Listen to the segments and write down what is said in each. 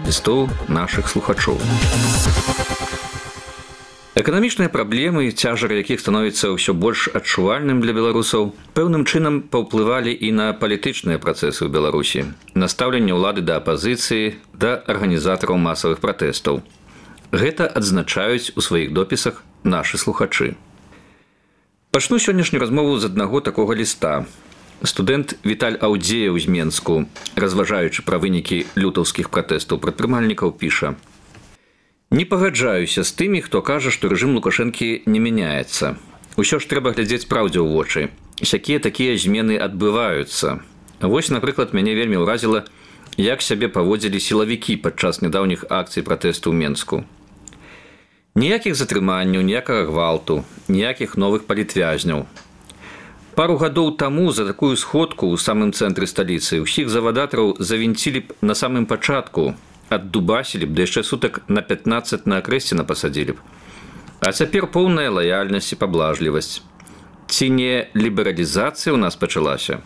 лістоў нашых слухачоў. Эканамічныя праблемы, цяжар якіх становіцца ўсё больш адчувальным для беларусаў, пэўным чынам паўплывалі і на палітычныя працэсы ў Беларусі, на стаўленне ўлады да апазіцыі, да арганізатараў масавых пратэстаў. Гэта адзначаюць у сваіх допісах нашы слухачы. Пачну сённяшнюю размову з аднаго такога ліста. Студэнт Віталь Аўдзеяў з Менску, разважаючы пра вынікі лютаўскіх пратэстаў прадпрымальнікаў, піша: «Не пагаджаюся з тымі, хто кажа, што рэжым Лукашэнкі не мяняецца. Усё ж трэба глядзець праўдзе ў вочы. Сякія такія змены адбываюцца. Вось, напрыклад, мяне вельмі ўразіла, як сябе паводзілі сілавікі падчас нядаўніх акцый пратэсту ў Менску. Ніякіх затрыманняў, ніякага гвалту, ніякіх новых палітвязняў. Пару гадоў таму за такую сходку ў самым цэнтры сталіцы ўсіх завадатараў завінцілі б на самым пачатку, аддубасілі б, да яшчэ сутак на 15 на акрэсціна пасадзілі б. А цяпер поўная лаяльнасць і паблажлівасць. Ці не лібералізацыя ў нас пачалася?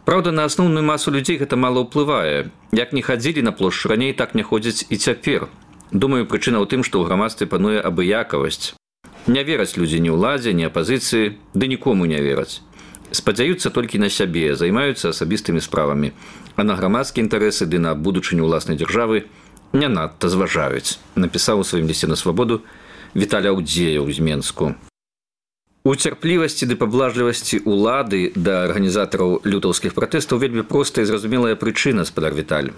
Праўда, на асноўную масу людзей гэта мала ўплывае. Як не хадзілі на плошчу раней, так не ходзяць і цяпер. Думаю, прычына ў тым, што ў грамадстве пануе абыякавасць. Не вераць людзі ні ўладзе, ні апазіцыі, ды нікому не вераць. Спадзяюцца толькі на сябе, займаюцца асабістымі справамі, а на грамадскія інтарэсы ды на будучыню ўласнай дзяржавы не надта зважаюць», напісаў у сваім лісце на свабоду Віталь Аўдзеяў з Менску. У цярплівасці ды паблажлівасці ўлады да арганізатараў лютаўскіх пратэстаў вельмі простая і зразумелая прычына, спадар Віталь.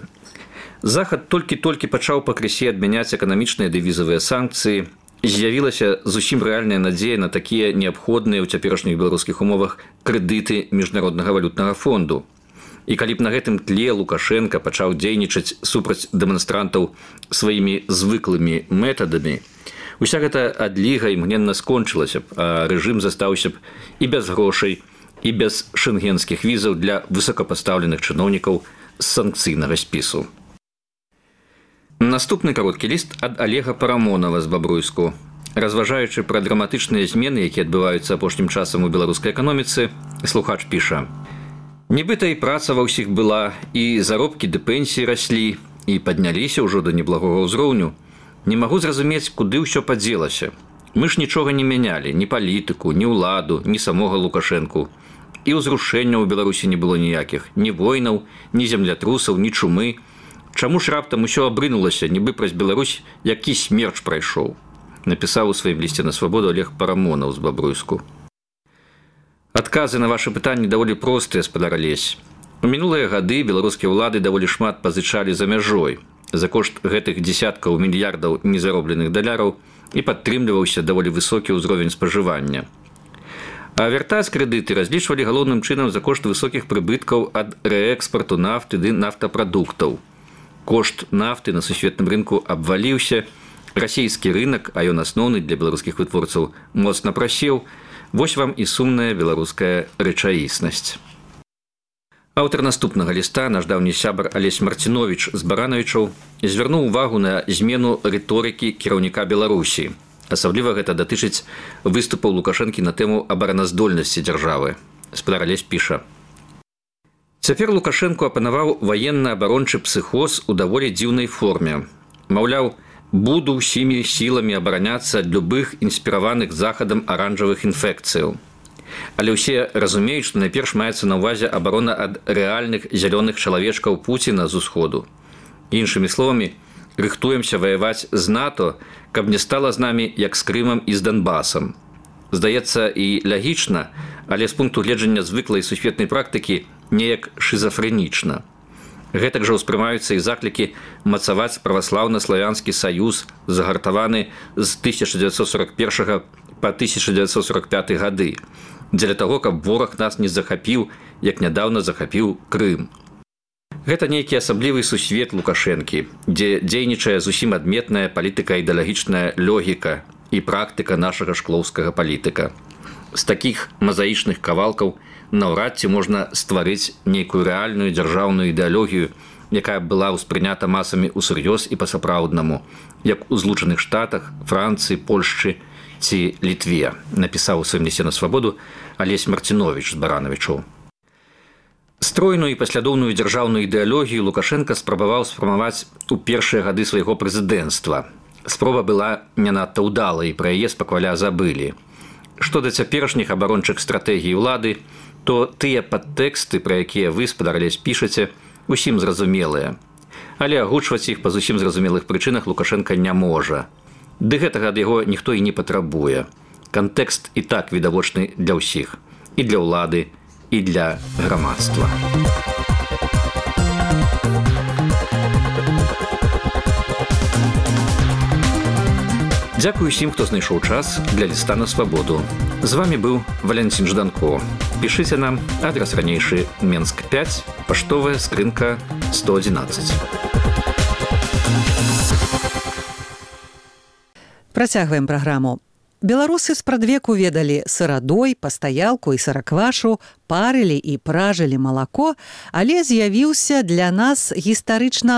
Захад толькі-толькі пачаў пакрысе адмяняць эканамічныя ды візавыя санкцыі, з'явілася зусім рэальная надзея на такія неабходныя ў цяперашніх беларускіх умовах крэдыты міжнароднага валютнага фонду. І калі б на гэтым тле Лукашенка пачаў дзейнічаць супраць дэманстрантаў сваімі звыклымі метадамі, уся гэта адліга імгненна скончылася б, а рэжым застаўся б і без грошай, і без шэнгенскіх візаў для высокапастаўленых чыноўнікаў з санкцыйнага спісу. Наступны кароткі ліст ад Олега Парамонова з Бабруйску. Разважаючы пра драматычныя змены, якія адбываюцца апошнім часам у беларускай эканоміцы, слухач піша: «Нібыта і праца ва ўсіх была, і заробкі ды пенсіі раслі, і падняліся ўжо да неблагога ўзроўню. Не магу зразумець, куды ўсё падзелася. Мы ж нічога не мянялі, ні палітыку, ні ўладу, ні самога Лукашэнку. І ўзрушэнняў у Беларусі не было ніякіх, ні войнаў, ні землятрусаў, ні чумы. Чаму ж раптам усё абрынулася, нібы праз Беларусь які смерч прайшоў», напісаў у сваім лісце на свабоду Олег Парамонаў з Бабруйску. Адказы на вашы пытанні даволі простыя, спадар Алесь. У мінулыя гады беларускія ўлады даволі шмат пазычалі за мяжой. За кошт гэтых дзесяткаў мільярдаў незаробленых даляраў і падтрымліваўся даволі высокі ўзровень спажывання. А вяртаць крэдыты разлічвалі галоўным чынам за кошт высокіх прыбыткаў ад рээкспарту нафты ды нафтапрадуктаў. Кошт нафты на сусветным рынку абваліўся, расійскі рынок, а ён асноўны для беларускіх вытворцаў, моцна прасеў. Вось вам і сумная беларуская рэчаіснасць. Аўтар наступнага ліста, наш даўні сябар Алесь Марціновіч з Баранавічаў, звярнуў увагу на змену рыторыкі кіраўніка Беларусі. Асабліва гэта датычыць выступаў Лукашэнкі на тэму абараназдольнасці дзяржавы. Спадар Алесь піша: «Цяпер Лукашэнку апанаваў ваенна-абарончы псіхоз у даволі дзіўнай форме. Маўляў, буду ўсімі сіламі абараняцца ад любых інспіраваных захадам аранжавых інфекцыяў. Але ўсе разумеюць, што найперш маецца на ўвазе абарона ад рэальных зялёных чалавечкаў Пуціна з усходу. Іншымі словамі, рыхтуемся ваяваць з НАТО, каб не стала з намі, як з Крымам і з Донбасам. Здаецца і лагічна, але з пункту гледжання звыклай сусветнай практыкі неяк шызафрэнічна. Гэтак жа ўспрымаюцца і заклікі мацаваць праваслаўна-славянскі саюз, загартаваны з 1941 па 1945 гады, дзеля таго, каб вораг нас не захапіў, як нядаўна захапіў Крым. Гэта нейкі асаблівы сусвет Лукашэнкі, дзе дзейнічае зусім адметная палітыка-ідэалагічная логіка і практыка нашага шклоўскага палітыка. З такіх мазаічных кавалкаў наўрад ці можна стварыць нейкую рэальную дзяржаўную ідэалогію, якая была ўспрынята масамі ўсур'ёз і па-сапраўднаму, як у Злучаных Штатах, Францыі, Польшчы ці Літве, напісаў у сваім лісце на свабоду Алесь Марціновіч з Баранавічаў. Стройную і паслядоўную дзяржаўную ідэалогію Лукашенко спрабаваў сфармаваць у першыя гады свайго прэзідэнцтва. Спроба была не надта ўдалай, пра яе спакваля забылі. Што да цяперашніх абарончых стратэгій улады, то тыя падтэксты, пра якія вы, спадар Алесь, пішаце, усім зразумелыя. Але агучваць іх па зусім зразумелых прычынах Лукашенко не можа. Ды гэтага ад яго ніхто і не патрабуе. Кантэкст і так відавочны для ўсіх. І для ўлады, і для грамадства. Дзякую усім, хто знайшоў час для ліста на свабоду. З вами быў Валентин Жданко. Пішыце нам, адрес ранейшы Менск 5, паштовая скрынка 111. Працягваем праграму. Беларусы спрадвеку ведалі сырадой, пастаялку і сыраквашу, парылі і пражылі малако, але з'явіўся для нас гістарычна